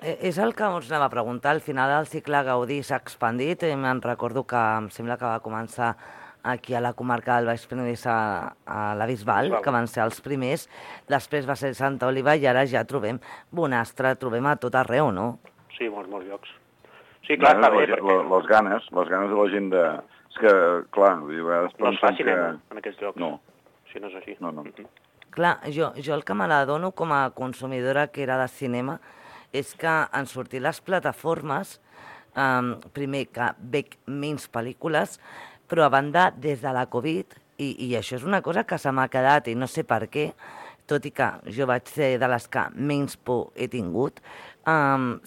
És el que us anava a preguntar. Al final el cicle Gaudí s'ha expandit. Me'n recordo que em sembla que va començar aquí a la comarca del Baix Penedès a la Bisbal, que van ser els primers, després va ser Santa Oliva i ara ja trobem Bonastre, trobem a tot arreu, no? Sí, molts llocs. Sí, clar, està bé, perquè... Les ganes de la gent de... És que, clar, a vegades no es fa cinema en aquests llocs. No. Si no és així. No. Clar, jo el que me l'adono com a consumidora que era de cinema és que han sortit les plataformes, primer que veig menys pel·lícules, però a banda des de la Covid, i això és una cosa que se m'ha quedat i no sé per què, tot i que jo vaig ser de les que menys por he tingut,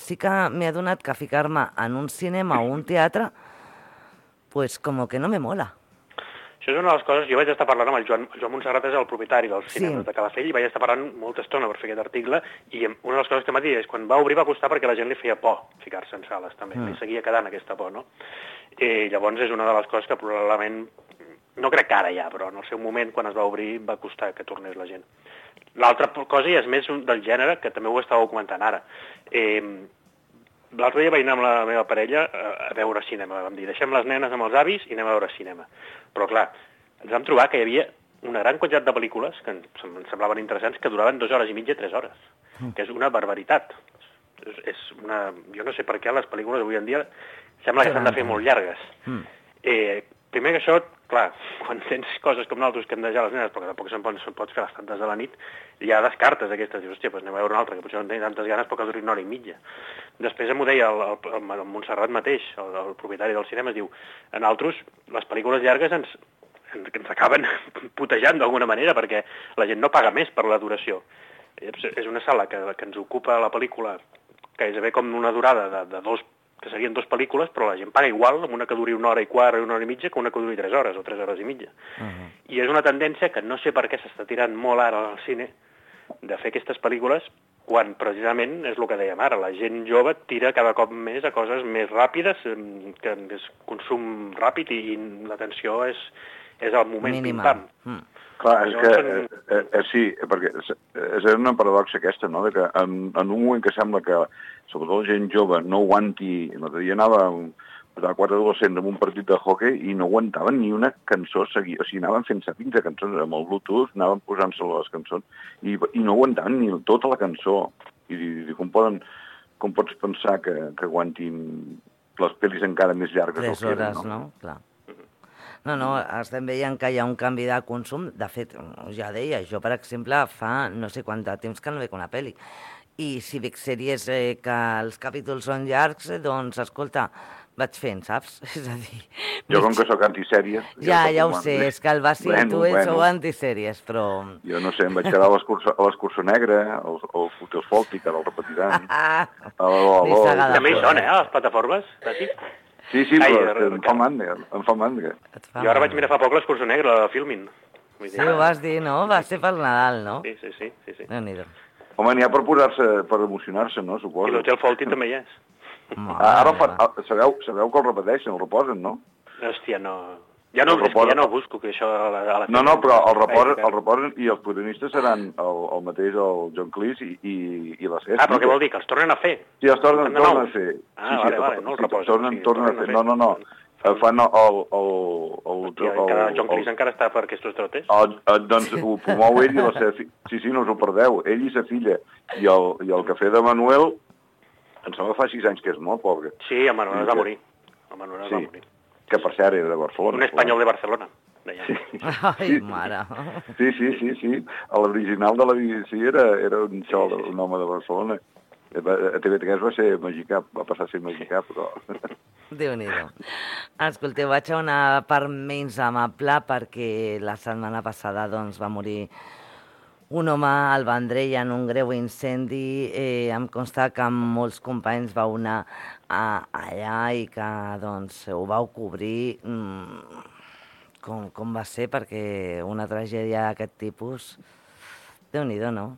sí que m'he adonat que ficar-me en un cinema o un teatre, pues como que no me mola. Això és una de les coses... Jo vaig estar parlant amb el Joan Montserrat, és el propietari dels cinemes de Calafell, i vaig estar parlant molta estona per fer aquest article, i una de les coses que m'ha dit és quan va obrir va costar perquè la gent li feia por ficar-se en sales, també. Li seguia quedant aquesta por, no? I llavors és una de les coses que probablement... No crec que ara ja, però en el seu moment, quan es va obrir, va costar que tornés la gent. L'altra cosa, i és més del gènere, que també ho estàveu comentant ara. L'altre dia vaig anar amb la meva parella a veure cinema. Vam dir, deixem les nenes amb els avis i anem a veure cinema. Però, clar, ens vam trobar que hi havia una gran quantitat de pel·lícules que em semblaven interessants que duraven 2 hores i mitja, 3 hores, que és una barbaritat. És una... Jo no sé per què les pel·lícules avui en dia sembla que s'han de fer molt llargues. Primer que això, clar, quan tens coses com nosaltres que hem de deixar les nenes, perquè tampoc se'n pots fer les tantes de la nit, ja descartes aquestes, dius, hòstia, doncs anem a veure una altra, que potser no en tenia tantes ganes, però que duri 1 hora i mitja. Després m'ho deia el Montserrat mateix, el propietari del cinema, diu, en altres, les pel·lícules llargues ens acaben putejant d'alguna manera, perquè la gent no paga més per la duració. És una sala que ens ocupa la pel·lícula, que és com una durada de que serien 2 pel·lícules, però la gent paga igual amb una que duri 1 hora i quart o 1 hora i mitja que una que duri 3 hores o 3 hores i mitja. I és una tendència que no sé per què s'està tirant molt ara al cine de fer aquestes pel·lícules quan precisament és el que dèiem ara, la gent jove tira cada cop més a coses més ràpides, que és consum ràpid i l'atenció és el moment pim-pam. Clar, és que sí, perquè és una paradoxa aquesta, no?, que en un moment que sembla que sobretot la gent jove no aguanti... L'altre dia anava a 4 adolescents en un partit de hockey i no aguantaven ni una cançó seguida. O sigui, anaven fent sapins de cançons amb el Bluetooth, anaven posant-se les cançons i no aguantaven ni tota la cançó. I com pots pensar que aguantin les pel·lis encara més llargues? 3 hores, no? Clar. No, estem veient que hi ha un canvi de consum. De fet, ja deia, jo, per exemple, fa no sé quant de temps que no veig una pel·li. I si veig sèries que els capítols són llargs, doncs, escolta, vaig fent, saps? És a dir... Jo, com que sóc antisèries... Ja ho sé, és que el Basi i tu sou antisèries, però... Jo no sé, em vaig quedar a l'Escurçó Negre, el Fútbol Fòltic, ara el repetiran. També hi són, les plataformes, Basi? Sí, però em fa mandra. Jo ara vaig mirar fa poc l'Escurçó Negre, la Filmin. Sí, ho vas dir, no? Va ser pel Nadal, no? Sí. Déu-n'hi-do. Home, n'hi ha per per emocionar-se, no? Suposo. I l'Hotel Fòltic també hi és. Ara sabeu que el repeteixen, el reposen, no? Hòstia, no... Ja no busco que això... No, però el reposen i els protagonistes seran el mateix, el John Cleese i la Ceci. Però què vol dir? Que els tornen a fer? Sí, els tornen a fer. Vale, no el reposen. Tornen a fer. No. Fan el... John Cleese encara està per aquests trotes? Doncs ho promou ell i la seva filla. Sí, no us ho perdeu. Ell i sa filla. I el cafè de Manuel, em sembla que fa 6 anys que és molt pobre. Sí, el Manuel es va morir. Que per cert era de Barcelona. Un espanyol de Barcelona. Ai, mare. Sí. L'original de la BBC era un home de Barcelona. A TV3 va ser mexicà, va passar a ser mexicà, però... Déu-n'hi-do. Escolteu, vaig a una part menys amable perquè la setmana passada doncs, va morir un home al Vendrell en un greu incendi. Em consta que molts companys vau anar allà i que doncs, ho vau cobrir. Com va ser? Perquè una tragèdia d'aquest tipus, Déu-n'hi-do, no?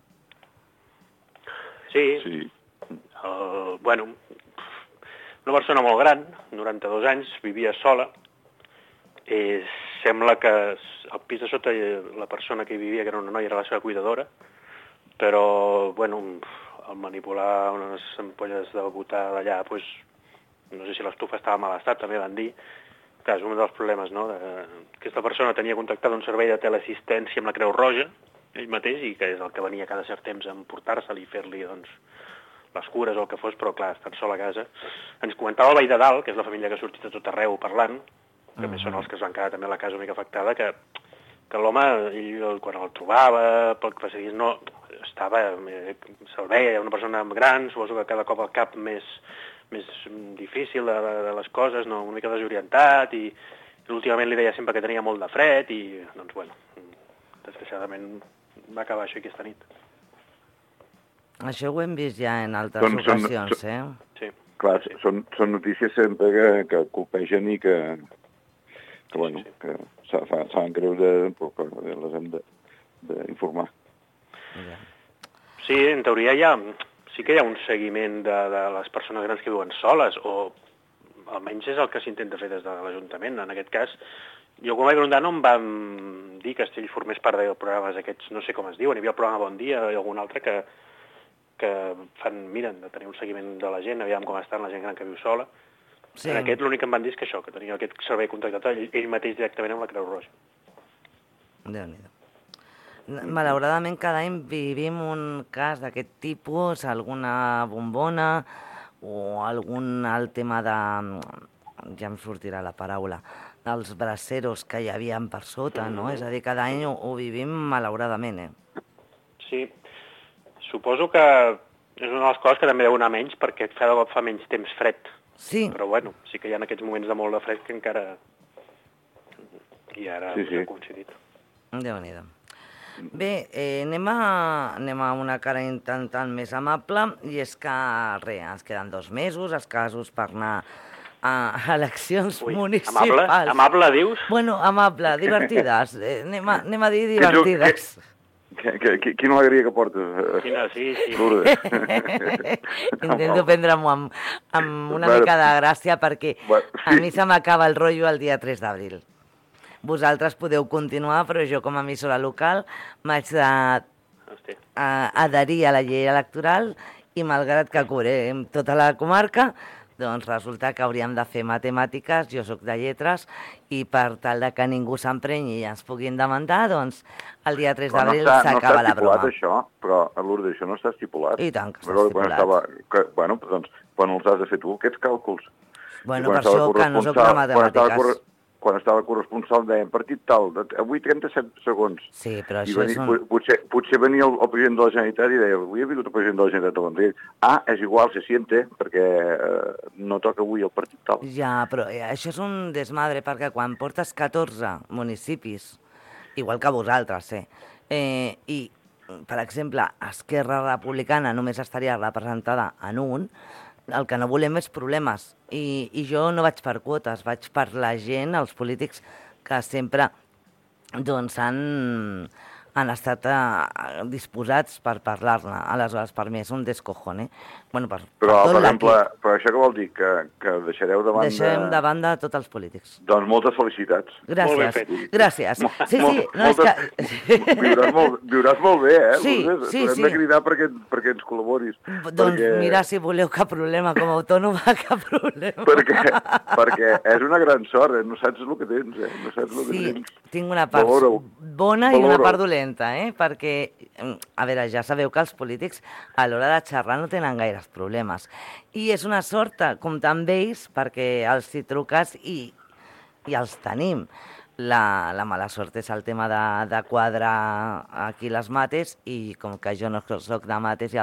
Sí. Bueno, una persona molt gran, 92 anys, vivia sola. Sembla que al pis de sota la persona que hi vivia, que era una noia, era la seva cuidadora, però, bueno, al manipular unes ampolles de butà d'allà, doncs, no sé si l'estufa estava en mal estat, també van dir, Clar, és un dels problemes, no? Aquesta persona tenia contractat un servei de teleassistència amb la Creu Roja, ell mateix, i que és el que venia cada cert temps a emportar-se'l i fer-li, doncs, les cures o el que fos, però clar, estant sol a casa. Ens comentava el veí de dalt, que és la família que ha sortit a tot arreu parlant, que a més són els que es van quedar també a la casa una mica afectada, que l'home, ell quan el trobava, pel que passaria, no, estava, se'l veia, una persona gran, suposo que cada cop el cap més difícil de les coses, no, una mica desorientat, i últimament li deia sempre que tenia molt de fred, i, doncs, bueno, desgraciadament va acabar això aquesta nit. Això ho hem vist ja en altres ocasions, eh? Sí. Clar, sí. Són notícies sempre que colpegen i que fan creure, però que les hem d'informar. Sí, en teoria sí que hi ha un seguiment de les persones grans que viuen soles, o almenys és el que s'intenta fer des de l'Ajuntament. En aquest cas, jo quan vaig preguntar no em van dir que Estell formés part dels programes aquests, no sé com es diuen, hi havia el programa Bon Dia i algun altre que miren de tenir un seguiment de la gent, aviam com està la gent gran que viu sola. Sí. En aquest l'únic que em van dir és que això, que tenia aquest servei contractat ell mateix directament amb la Creu Roja. Déu-n'hi-do. Malauradament cada any vivim un cas d'aquest tipus, alguna bombona o algun alt tema de... ja em sortirà la paraula, dels braceros que hi havia per sota, no? És a dir, cada any ho vivim malauradament, eh? Sí, suposo que és una de les coses que també deu anar menys perquè cada cop fa menys temps fred. Sí. Però bueno, sí que hi ha aquests moments de molt de fred que encara... i ara ha coincidit. Déu-n'hi-do. Bé, anem a una cara intentant més amable, i és que, ens queden 2 mesos escassos per anar a eleccions municipals. Amable, dius? Bueno, amable, divertides. Anem a dir divertides. Quina alegria que portes. Quina, sí. Intento prendre-m'ho amb una mica de gràcia perquè a mi se m'acaba el rotllo el dia 3 d'abril. Vosaltres podeu continuar, però jo com a emissora local m'haig d'adherir a la llei electoral i malgrat que cobrem tota la comarca, doncs resulta que hauríem de fer matemàtiques, jo sóc de lletres, i per tal de que ningú s'emprenyi i ens puguin demandar, doncs el dia 3 d'abril s'acaba la broma. No està estipulat això, però a Lourdes això no està estipulat. I tant que està estipulat. Bueno, doncs, quan els has de fer tu, aquests càlculs. Bueno, per això que no soc de matemàtiques. Quan estava corresponsal deien partit tal, avui 37 segons. Sí, però això és un... Potser venia el president de la Generalitat i deia, avui ha vingut el president de la Generalitat a Vendrell. És igual, se siente, perquè no toca avui el partit tal. Ja, però això és un desmadre, perquè quan portes 14 municipis, igual que vosaltres, i, per exemple, Esquerra Republicana només estaria representada en un, el que no volem és problemes. I jo no vaig per quotes, vaig per la gent, els polítics que sempre doncs, han estat disposats per parlar-ne. Aleshores, per mi és un descojone. Bueno, però, per exemple, però això què vol dir? Que deixareu de banda... Deixarem de banda tots els polítics. Doncs moltes felicitats. Gràcies. Gràcies. Sí. Viuràs molt bé, eh? Sí. Hem de cridar perquè ens col·laboris. Doncs mira, si voleu, cap problema. Com a autònoma, cap problema. Perquè és una gran sort, no saps el que tens, No saps el que tens. Tinc una part bona i una part dolenta, perquè, a veure, ja sabeu que els polítics a l'hora de xerrar no tenen gaires problemes. I és una sort comptar amb ells perquè els hi truques i els tenim. La mala sort és el tema de quadrar aquí les mates i com que jo no soc de mates i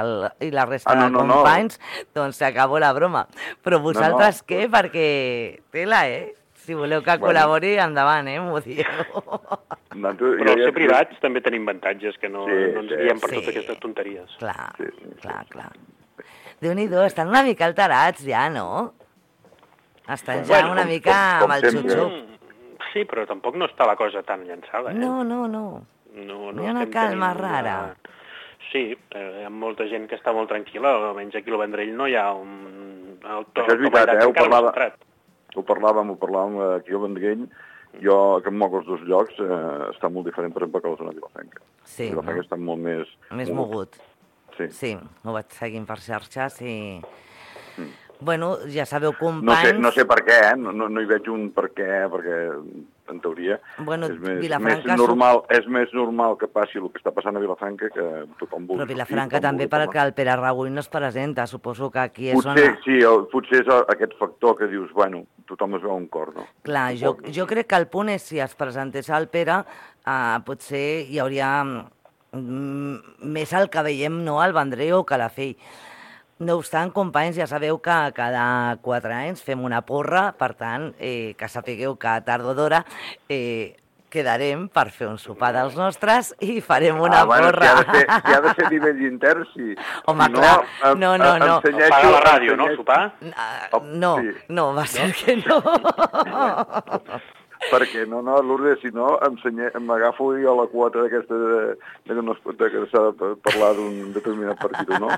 la resta de companys, doncs s'acabó la broma. Però vosaltres què? Perquè tela, Si voleu que col·labori, endavant, m'ho dieu. Però als ser privats també tenim avantatges que no ens guiem per totes aquestes tonteries. Clar. Déu-n'hi-do, estan una mica alterats ja, no? Estan ja una mica amb el xup-xup. Sí, però tampoc no està la cosa tan llançada, No. Hi ha una calma rara. Sí, hi ha molta gent que està molt tranquil·la, almenys aquí al Vendrell no hi ha un... Això és veritat, ho parlàvem aquí al Vendrell. Jo, que em moc els 2 llocs, està molt diferent, per exemple, que la zona de Vilafranca. Sí, Vilafranca està molt més... Més mogut. Sí, ho vaig seguint per xarxes i... Bueno, ja sabeu, companys... No sé per què, no hi veig un per què, perquè en teoria bueno, és més normal que passi el que està passant a Vilafranca que tothom vulgui. Però Vilafranca també perquè el Pere Raüll no es presenta, suposo que aquí és potser, on... Sí, potser és aquest factor que dius, bueno, tothom es veu un cor, no? Clar, jo crec que el punt és, si es presentés el Pere, potser hi hauria més el que veiem, no, al Vendrell o Calafell. No obstant, companys, ja sabeu que cada 4 anys fem una porra, per tant, que sapigueu que tard o d'hora quedarem per fer un sopar dels nostres i farem una porra. Si ha de ser nivell intern, sí. Home, clar, no. Pagar la ràdio, no, sopar? No, va ser que no. Perquè no, Lourdes, si no, m'agafo jo la quota d'aquesta que s'ha de parlar d'un determinat partit o no,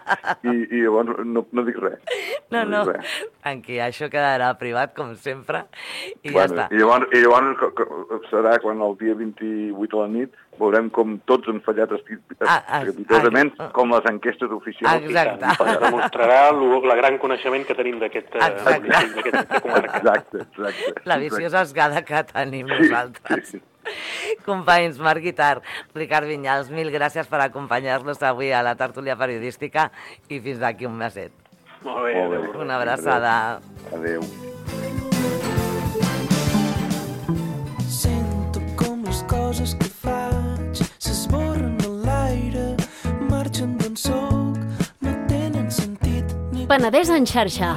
i llavors no dic res. No, tranquil, això quedarà privat, com sempre, i ja està. I llavors serà quan el dia 28 a la nit veurem com tots han fallat estrepitosament, com les enquestes oficials. Exacte. Demostrarà el gran coneixement que tenim d'aquesta comarca. Exacte. La viciosa esgada que tenim nosaltres. Sí. Companys, Marc Guitart, Ricard Vinyals, mil gràcies per acompanyar-nos avui a la tertúlia periodística i fins d'aquí un meset. Molt bé. Una abraçada. Adéu. Sento com les coses que faig s'esborren a l'aire, marxen d'on soc, no tenen sentit ni... Penedès en xarxa.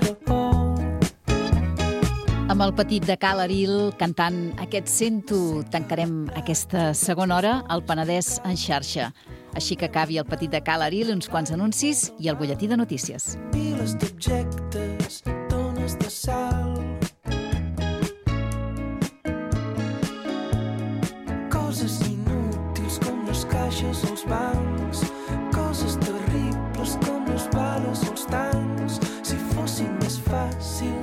Amb el petit de Cal Aril cantant aquest Sento, tancarem aquesta segona hora al Penedès en xarxa. Així que acabi el petit de Cal Aril, uns quants anuncis i el butlletí de notícies. Piles d'objectes, tones de sal, coses inútils com les caixes als bancs, coses terribles com les bales als tancs. Si fossin més fàcils